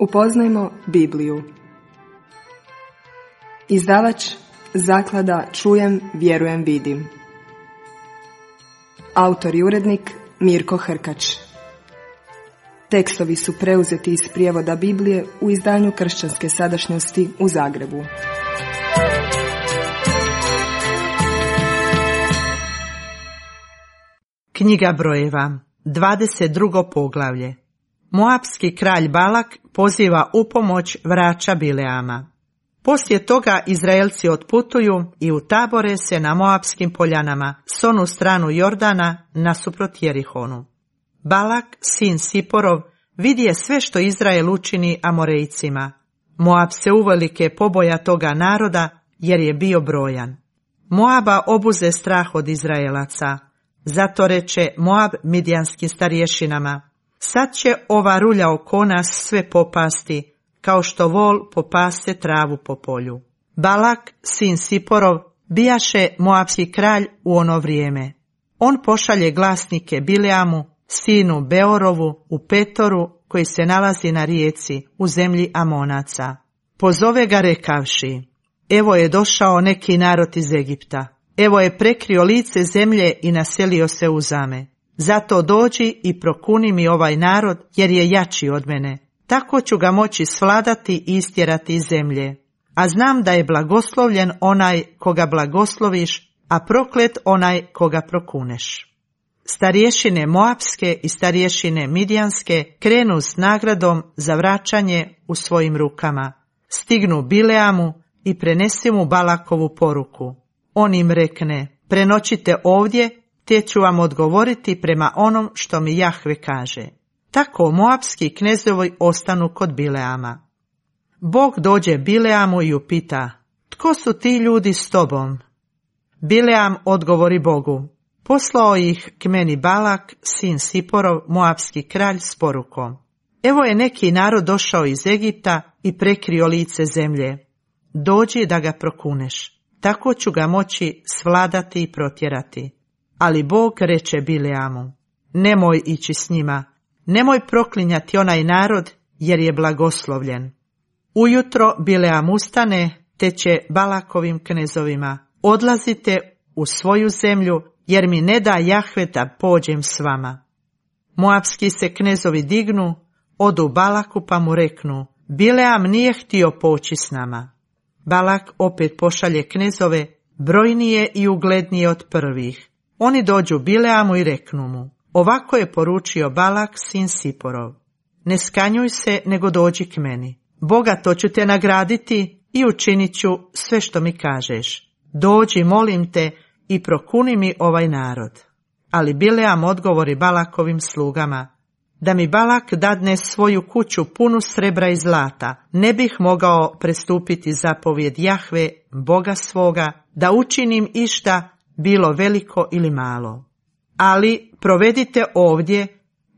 Upoznajmo Bibliju. Izdavač Zaklada Čujem, vjerujem, vidim. Autor i urednik Mirko Hrkač. Tekstovi su preuzeti iz prijevoda Biblije u izdanju Kršćanske sadašnjosti u Zagrebu. Knjiga brojeva, 22. poglavlje. Moapski kralj Balak poziva u pomoć vraća Bileama. Poslije toga Izraelci otputuju i utabore se na Moapskim poljanama, s onu stranu Jordana, nasuprot Jerihonu. Balak, sin Siporov, vidje sve što Izrael učini Amorejcima. Moab se uvelike poboja toga naroda, jer je bio brojan. Moaba obuze strah od Izraelaca. Zato reče Moab midjanskim starješinama: sad će ova rulja oko nas sve popasti, kao što vol popase travu po polju. Balak, sin Siporov, bijaše Moapski kralj u ono vrijeme. On pošalje glasnike Bileamu, sinu Beorovu, u Petoru, koji se nalazi na rijeci, u zemlji Amonaca. Pozove ga rekavši: evo je došao neki narod iz Egipta. Evo je prekrio lice zemlje i naselio se u zame. Zato dođi i prokuni mi ovaj narod, jer je jači od mene. Tako ću ga moći svladati i istjerati iz zemlje. A znam da je blagoslovljen onaj koga blagosloviš, a proklet onaj koga prokuneš. Starješine Moapske i starješine Midjanske krenu s nagradom za vraćanje u svojim rukama. Stignu Bileamu i prenesi mu Balakovu poruku. On im rekne: prenoćite ovdje, te ću vam odgovoriti prema onom što mi Jahve kaže. Tako Moapski knezovi ostanu kod Bileama. Bog dođe Bileamu i upita: tko su ti ljudi s tobom? Bileam odgovori Bogu: poslao ih k meni Balak, sin Siporov, Moapski kralj, s porukom: evo je neki narod došao iz Egipta i prekrio lice zemlje. Dođi da ga prokuneš, tako ću ga moći svladati i protjerati. Ali Bog reče Bileamu: nemoj ići s njima, nemoj proklinjati onaj narod, jer je blagoslovljen. Ujutro Bileam ustane, te će Balakovim knezovima: odlazite u svoju zemlju, jer mi ne da Jahve da pođem s vama. Moapski se knezovi dignu, odu Balaku pa mu reknu: Bileam nije htio poći s nama. Balak opet pošalje knezove, brojnije i uglednije od prvih. Oni dođu Bileamu i reknu mu: ovako je poručio Balak, sin Siporov: ne skanjuj se, nego dođi k meni. Bogato ću te nagraditi i učinit ću sve što mi kažeš. Dođi, molim te, i prokuni mi ovaj narod. Ali Bileam odgovori Balakovim slugama: da mi Balak dadne svoju kuću punu srebra i zlata, ne bih mogao prestupiti zapovjed Jahve, Boga svoga, da učinim išta, bilo veliko ili malo. Ali provedite ovdje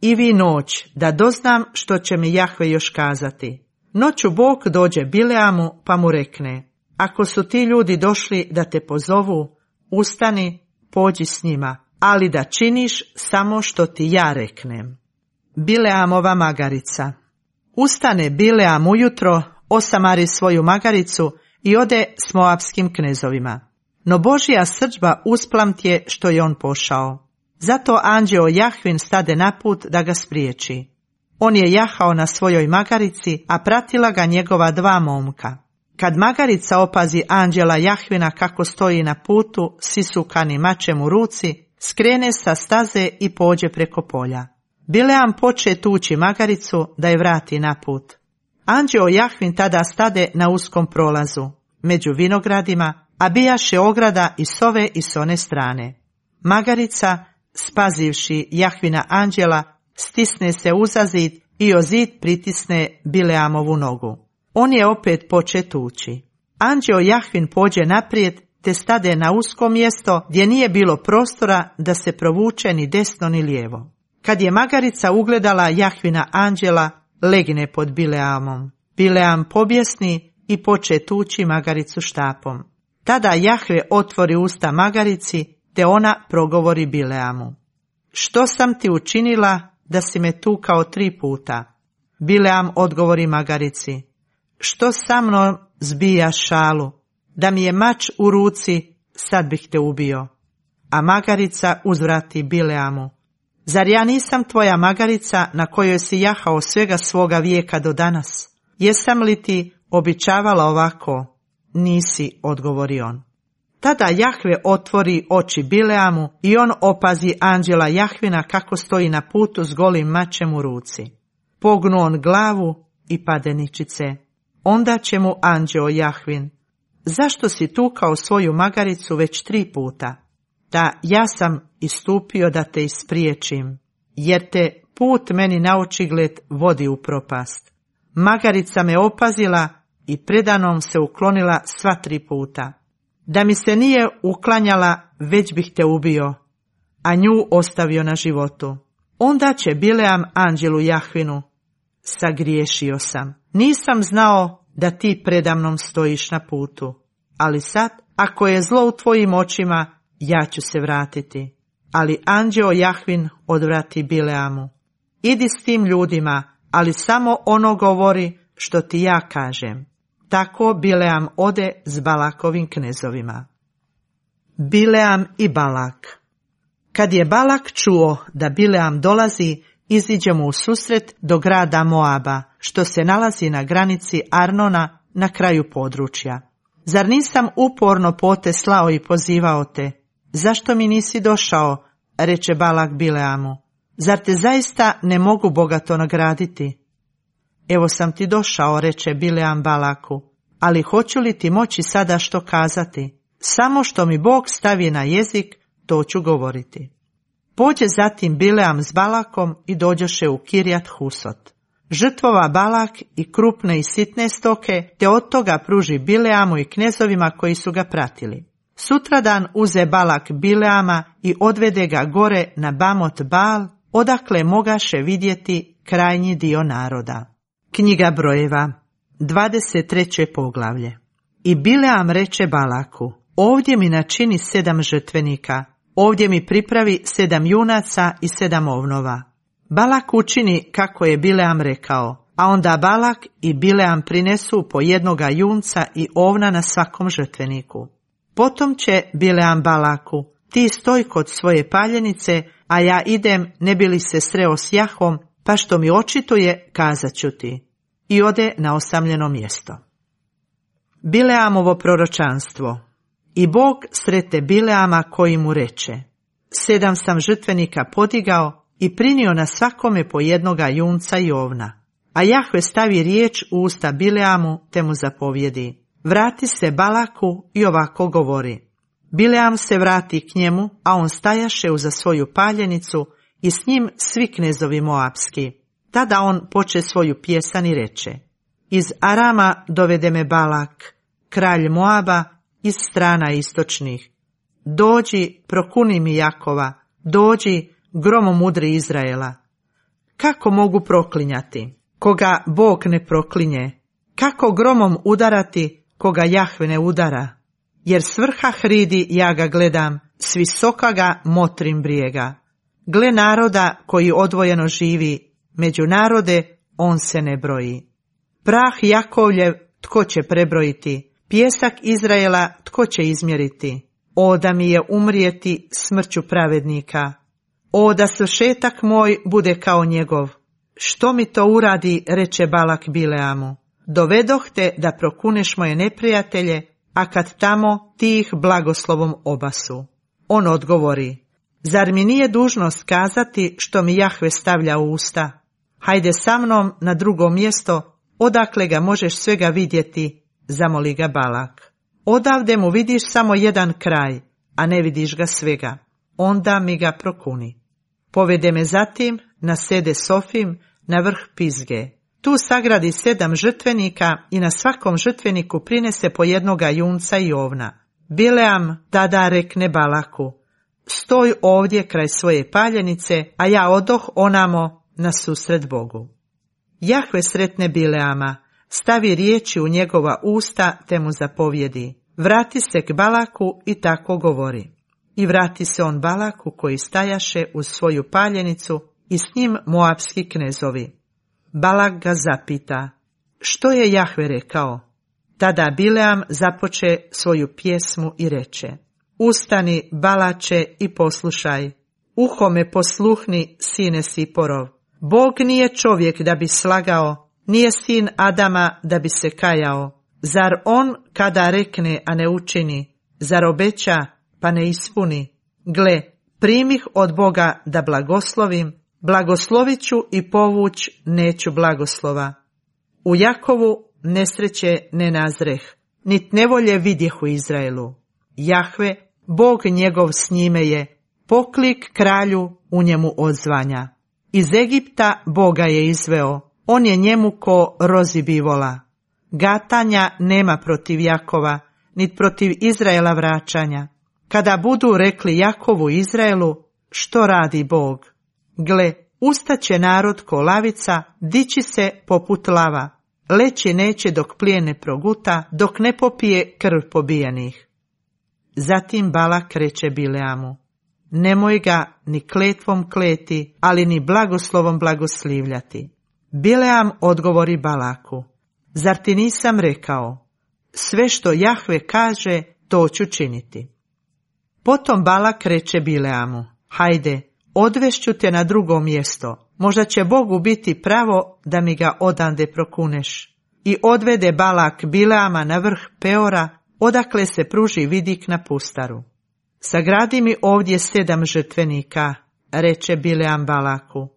i vi noć, da doznam što će mi Jahve još kazati. Noću Bog dođe Bileamu pa mu rekne: ako su ti ljudi došli da te pozovu, ustani, pođi s njima, ali da činiš samo što ti ja reknem. Bileamova magarica. Ustane Bileam ujutro, osamari svoju magaricu i ode s Moapskim knezovima. No Božja srdžba usplamtje što je on pošao. Zato anđeo Jahvin stade na put da ga spriječi. On je jahao na svojoj magarici, a pratila ga njegova dva momka. Kad magarica opazi anđela Jahvina kako stoji na putu s isukanim mačem u ruci, skrene sa staze i pođe preko polja. Bileam poče tući magaricu da je vrati na put. Anđeo Jahvin tada stade na uskom prolazu, među vinogradima, a bijaše ograda i s ove i s one strane. Magarica, spazivši Jahvina anđela, stisne se uza zid i o zid pritisne Bileamovu nogu. On je opet poče tući. Anđeo Jahvin pođe naprijed, te stade na usko mjesto gdje nije bilo prostora da se provuče ni desno ni lijevo. Kad je magarica ugledala Jahvina anđela, legne pod Bileamom. Bileam pobjesni i poče tući magaricu štapom. Tada Jahve otvori usta magarici, te ona progovori Bileamu: što sam ti učinila da si me tukao 3 puta? Bileam odgovori magarici: što sa mnom zbijaš šalu? Da mi je mač u ruci, sad bih te ubio. A magarica uzvrati Bileamu: zar ja nisam tvoja magarica na kojoj si jahao svega svoga vijeka do danas? Jesam li ti običavala ovako? Nisi, odgovori on. Tada Jahve otvori oči Bileamu i on opazi anđela Jahvina kako stoji na putu s golim mačem u ruci. Pognu on glavu i pade ničice. Onda će mu anđeo Jahvin: zašto si tukao svoju magaricu već 3 puta? Da, ja sam istupio da te ispriječim, jer te put meni naočigled vodi u propast. Magarica me opazila i predanom se uklonila sva 3 puta. Da mi se nije uklanjala, već bih te ubio, a nju ostavio na životu. Onda će Bileam anđelu Jahvinu: sagriješio sam, nisam znao da ti predamnom stojiš na putu, ali sad, ako je zlo u tvojim očima, ja ću se vratiti. Ali anđeo Jahvin odvrati Bileamu: idi s tim ljudima, ali samo ono govori što ti ja kažem. Tako Bileam ode s Balakovim knezovima. Bileam i Balak. Kad je Balak čuo da Bileam dolazi, iziđe mu u susret do grada Moaba, što se nalazi na granici Arnona na kraju područja. Zar nisam uporno pote slao i pozivao te? Zašto mi nisi došao? Reče Balak Bileamu. Zar te zaista ne mogu bogato nagraditi? Evo sam ti došao, reče Bileam Balaku, ali hoću li ti moći sada što kazati? Samo što mi Bog stavi na jezik, to ću govoriti. Pođe zatim Bileam s Balakom i dođoše u Kirjat Husot. Žrtvova Balak i krupne i sitne stoke, te od toga pruži Bileamu i knezovima koji su ga pratili. Sutradan uze Balak Bileama i odvede ga gore na Bamot Bal, odakle mogaše vidjeti krajnji dio naroda. Knjiga brojeva, 23. poglavlje. I Bileam reče Balaku: ovdje mi načini 7 žrtvenika, ovdje mi pripravi 7 junaca i 7 ovnova. Balak učini kako je Bileam rekao, a onda Balak i Bileam prinesu po jednoga junca i ovna na svakom žrtveniku. Potom će Bileam Balaku: ti stoj kod svoje paljenice, a ja idem ne bi li se sreo s Jahvom, pa što mi očituje, kazat ću ti. I ode na osamljeno mjesto. Bileamovo proročanstvo. I Bog srete Bileama koji mu reče: 7 sam žrtvenika podigao i prinio na svakome po jednoga junca i ovna. A Jahve stavi riječ u usta Bileamu te mu zapovjedi: vrati se Balaku i ovako govori. Bileam se vrati k njemu, a on stajaše uza svoju paljenicu i s njim svi knezovi moapski. Tada on poče svoju pjesan i reče: iz Arama dovede me Balak, kralj Moaba, iz strana istočnih. Dođi, prokuni mi Jakova, dođi, gromo mudri Izraela. Kako mogu proklinjati koga Bog ne proklinje? Kako gromom udarati koga Jahve ne udara? Jer s vrha hridi ja ga gledam, s visoka ga motrim brijega. Gle naroda koji odvojeno živi, među narode on se ne broji. Prah Jakovljev tko će prebrojiti, pjesak Izraela tko će izmjeriti? O da mi je umrijeti smrću pravednika, o da svršetak moj bude kao njegov. Što mi to uradi, reče Balak Bileamu, dovedoh te da prokuneš moje neprijatelje, a kad tamo ti ih blagoslovom obasu. On odgovori: zar mi nije dužnost kazati što mi Jahve stavlja u usta? Hajde sa mnom na drugo mjesto, odakle ga možeš svega vidjeti, zamoli ga Balak. Odavde mu vidiš samo jedan kraj, a ne vidiš ga svega. Onda mi ga prokuni. Povede me zatim na sede Sofim, na vrh Pizge. Tu sagradi 7 žrtvenika i na svakom žrtveniku prinese po jednoga junca i ovna. Bileam tada rekne Balaku: stoj ovdje kraj svoje paljenice, a ja odoh onamo na susret Bogu. Jahve sretne Bileama, stavi riječi u njegova usta te mu zapovjedi: vrati se k Balaku i tako govori. I vrati se on Balaku koji stajaše uz svoju paljenicu i s njim moapski knezovi. Balak ga zapita: što je Jahve rekao? Tada Bileam započe svoju pjesmu i reče: ustani, Balače, i poslušaj. Uho me posluhni, sine Siporov. Bog nije čovjek da bi slagao, nije sin Adama da bi se kajao. Zar on kada rekne, a ne učini? Zar obeća, pa ne ispuni? Gle, primih od Boga da blagoslovim, blagoslovit ću i povuć neću blagoslova. U Jakovu nesreće ne nazreh, nit nevolje vidjeh u Izraelu. Jahve, Bog njegov s njime je, poklik kralju u njemu odzvanja. Iz Egipta Boga je izveo, on je njemu ko rozi bivola. Gatanja nema protiv Jakova, nit protiv Izraela vraćanja. Kada budu rekli Jakovu i Izraelu, što radi Bog? Gle, ustaće narod ko lavica, dići se poput lava. Leći neće dok plijen ne proguta, dok ne popije krv pobijenih. Zatim Balak reče Bileamu: nemoj ga ni kletvom kleti, ali ni blagoslovom blagoslivljati. Bileam odgovori Balaku: zar ti nisam rekao, sve što Jahve kaže, to ću činiti. Potom Balak reče Bileamu: hajde, odvešću te na drugo mjesto, možda će Bogu biti pravo da mi ga odande prokuneš. I odvede Balak Bileama na vrh Peora, odakle se pruži vidik na pustaru. Sagradi mi ovdje 7 žrtvenika, reče Bileam Balaku.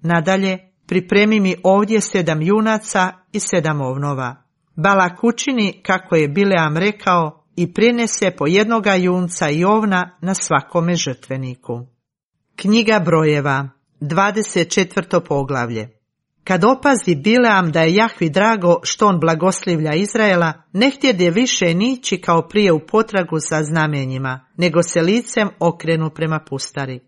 Nadalje, pripremi mi ovdje 7 junaca i 7 ovnova. Balak učini kako je Bileam rekao i prinese po jednoga junca i ovna na svakome žrtveniku. Knjiga Brojeva, 24. poglavlje. Kad opazi Bileam da je Jahvi drago što on blagoslivlja Izraela, ne htjede više nići kao prije u potragu za znamenjima, nego se licem okrenu prema pustari.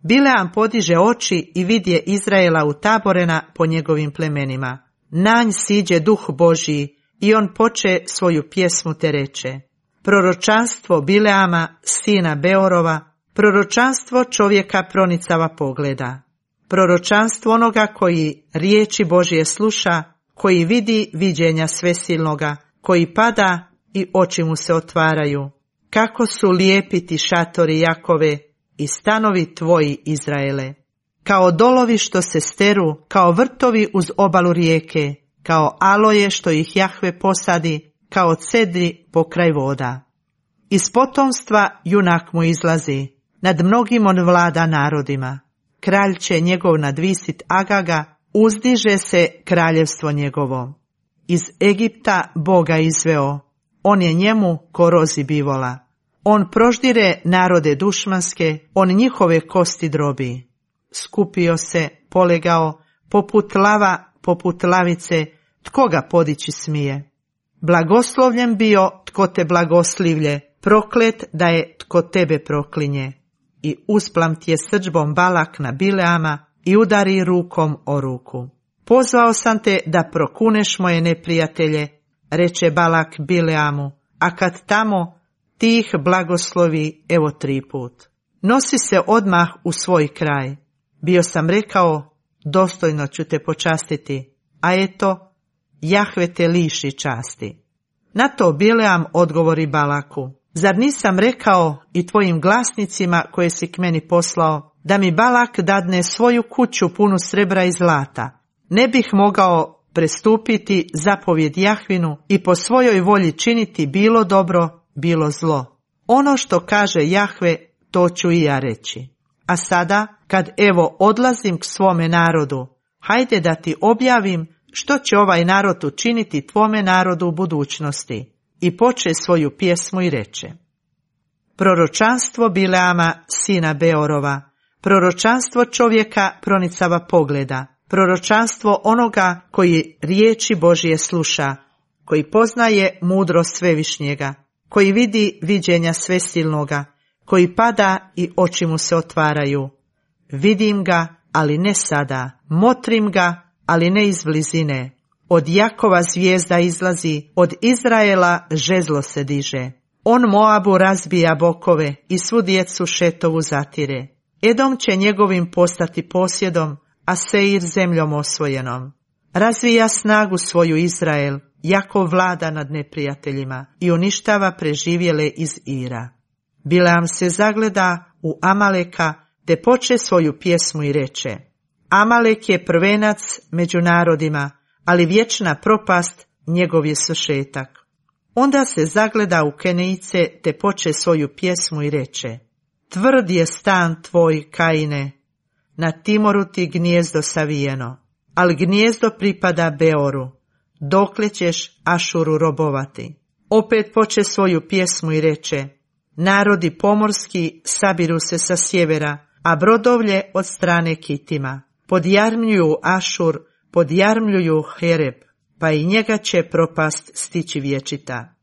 Bileam podiže oči i vidje Izraela utaborena po njegovim plemenima. Nanj siđe duh Božji i on poče svoju pjesmu te reče: proročanstvo Bileama, sina Beorova, proročanstvo čovjeka pronicava pogleda. Proročanstvo onoga koji riječi Božje sluša, koji vidi viđenja svesilnoga, koji pada i oči mu se otvaraju. Kako su lijepi ti šatori Jakove i stanovi tvoji Izraele. Kao dolovi što se steru, kao vrtovi uz obalu rijeke, kao aloje što ih Jahve posadi, kao cedri pokraj voda. Iz potomstva junak mu izlazi, nad mnogim on vlada narodima. Kralj će njegov nadvisit Agaga, uzdiže se kraljevstvo njegovo. Iz Egipta Boga izveo, on je njemu ko rozi bivola. On proždire narode dušmanske, on njihove kosti drobi. Skupio se, polegao, poput lava, poput lavice, tko ga podići smije? Blagoslovljen bio tko te blagoslivlje, proklet da je tko tebe proklinje. I usplamtje srdžbom Balak na Bileama i udari rukom o ruku. Pozvao sam te da prokuneš moje neprijatelje, reče Balak Bileamu, a kad tamo ti ih blagoslovi evo 3 put. Nosi se odmah u svoj kraj. Bio sam rekao, dostojno ću te počastiti, a eto, Jahve te liši časti. Na to Bileam odgovori Balaku: zar nisam rekao i tvojim glasnicima koje si k meni poslao, da mi Balak dadne svoju kuću punu srebra i zlata? Ne bih mogao prestupiti zapovjed Jahvinu i po svojoj volji činiti bilo dobro, bilo zlo. Ono što kaže Jahve, to ću i ja reći. A sada, kad evo odlazim k svome narodu, hajde da ti objavim što će ovaj narod učiniti tvome narodu u budućnosti. I poče svoju pjesmu i reče: proročanstvo Bileama, sina Beorova, proročanstvo čovjeka pronicava pogleda, proročanstvo onoga koji riječi Božje sluša, koji poznaje mudrost Svevišnjega, koji vidi viđenja svesilnoga, koji pada i oči mu se otvaraju. Vidim ga, ali ne sada, motrim ga, ali ne iz blizine. Od Jakova zvijezda izlazi, od Izraela žezlo se diže. On Moabu razbija bokove i svu djecu Šetovu zatire. Edom će njegovim postati posjedom, a Seir zemljom osvojenom. Razvija snagu svoju Izrael, jako vlada nad neprijateljima i uništava preživjele iz Ira. Bileam se zagleda u Amaleka, te poče svoju pjesmu i reče: Amalek je prvenac među narodima, ali vječna propast njegov je svršetak. Onda se zagleda u Kenejce, te poče svoju pjesmu i reče: Tvrd je stan tvoj, Kaine, na Timoru ti gnijezdo savijeno, ali gnijezdo pripada Beoru, dokle ćeš Ašuru robovati. Opet poče svoju pjesmu i reče: Narodi pomorski sabiru se sa sjevera, a brodovlje od strane Kitima. Podjarmljuju Ašur, podjarmljuju Hereb, pa i njega će propast stići vječita.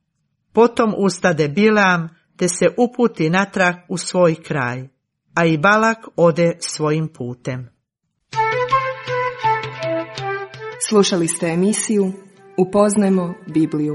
Potom ustade Bileam, te se uputi natrag u svoj kraj, a i Balak ode svojim putem. Slušali ste emisiju Upoznajmo Bibliju.